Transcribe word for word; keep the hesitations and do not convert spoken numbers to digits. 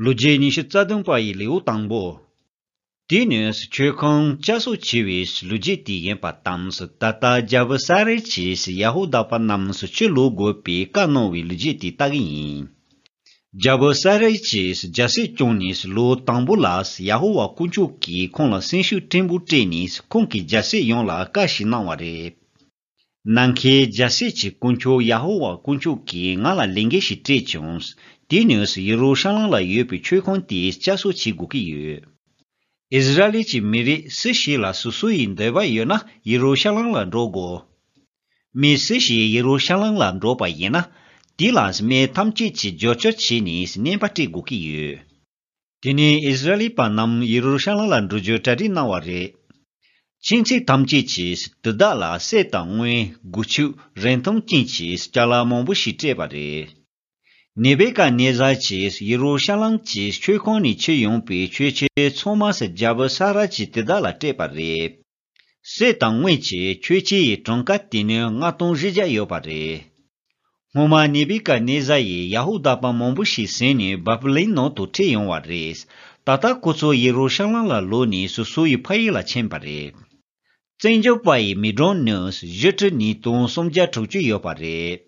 ལོ་རྒྱུས་ཉི་ཤུ་རྩ་བདུན་པ་ཡི་ལེའུ་དང་པོ། དེ་ནས་མཆོད་ཁང་བསྐྱར་གསོ་བྱས་པའི་ལོ་རྒྱུས་དེ་ཡིན་པ་དང་། ད་ལྟ་རྒྱལ་པོ་ས་ར་གྱིས་ཡ་ཧུ་དཱ་པ་རྣམས་ཆུ་ལོག་དགོས་པའི་བཀའ་གནང་བའི་ལོ་རྒྱུས་དེ་ལྟ་གི་ཡིན། རྒྱལ་པོ་ས་ར་གྱིས་རྒྱལ་སྲིད་སྐྱོང་ནས་ལོ་དང་པོ་ལ། ཡ་ཧུ་ཝཱ་དཀོན་མཆོག་གིས་ཁོང་ལ་སེམས་ཤུགས་ཕྲན་བུ་སྤྲད་ནས་ཁོང་གིས་རྒྱལ་སྲིད་ཡོངས་ལ་བཀའ་ཞིག་གནང་བ་རེད། ནམ་མཁའི་རྒྱལ་སྲིད་ཀྱི་དཀོན་མཆོག་ཡ་ཧུ་ཝཱ་དཀོན་མཆོག་གིས་ང་ལ་ལས་འགན་ཞིག་སྤྲད་བྱུང་། དེ་ནས་ཡེ་རུ་ཤ་ལམ་ལ་ཡོད་པའི་མཆོད་ཁང་དེ་བསྐྱར་གསོ་བྱེད་དགོས་ཀྱི་ཡོད། ཨིསི་ར་ཨེལ་གྱི་མི་རིགས་སུ་ཞིག་ལ་སོ་སོ་ཡི་འདོད་པ་ཡོད་ན་ཡེ་རུ་ཤ་ལམ་ལ་འགྲོ་དགོས། མི་སུ་ཞིག་ཡེ་རུ་ཤ་ལམ་ལ་འགྲོ་པ་ཡིན་ན། དེ་ལ་མི་ཐམས་ཅད་ཀྱིས་རྒྱབ་སྐྱོར་བྱས་ནས་བརྙན་པར་སྤྲད་དགོས་ཀྱི་ཡོད། དེ་ནས་ཨིསི་ར་ཨེལ་པ་རྣམས་ཡེ་རུ་ཤ་ལམ་ལ་འགྲོ་རྒྱུ་གྲ་སྒྲིག་གནང་བ་རེད། ཁྱིམ་མཚེས་ཐམས་ཅད་ཀྱིས་དེ་དག་ལ་གསེར་དང་དངུལ། སྒོ་ཕྱུགས། རིན་ཐང་ཅན་གྱི་ཅ་ལག་མང་པོ་ཞིག་སྤྲད་པ་རེད། ནེ་བུ་ཀ་ནེ་ཛར་གྱིས་ཡེ་རུ་ཤ་ལམ་གྱི་མཆོད་ཁང་ནས་ཁྱེར་ཡོང་པའི་མཆོད་ཆས་ཚང་མ་རྒྱལ་པོ་ས་ར་གྱིས་དེ་དག་ལ་སྤྲད་པ་རེད། གསེར་དང་དངུལ་གྱི་མཆོད་ཆས་ཡི་གྲངས་ཀ་དེ་ནི་ལྔ་སྟོང་བཞི་བརྒྱ་ཡོད་པ་རེད། སྔོན་མ་ནེ་བུ་ཀ་ནེ་ཛར་ཡིས་ཡ་ཧུ་དཱ་པ་མང་པོ་ཞིག་ཟིན་ནས་བཱ་བུ་ལོན་ནང་དུ་ཁྲིད་ཡོང་བ་རེད། ད་ལྟ་ཁོ་ཚོ་ཡེ་རུ་ཤ་ལམ་ལ་ལོག་ནས་སོ་སོ་ཡི་ཕ་ཡུལ་ལ་ཕྱིན་པ་རེད། བཙན་བྱོལ་བ་ཡི་མི་གྲངས་ནི་བཞི་ཁྲི་ཉིས་སྟོང་སུམ་བརྒྱ་དྲུག་ཅུ་ཡོད་པ་རེད།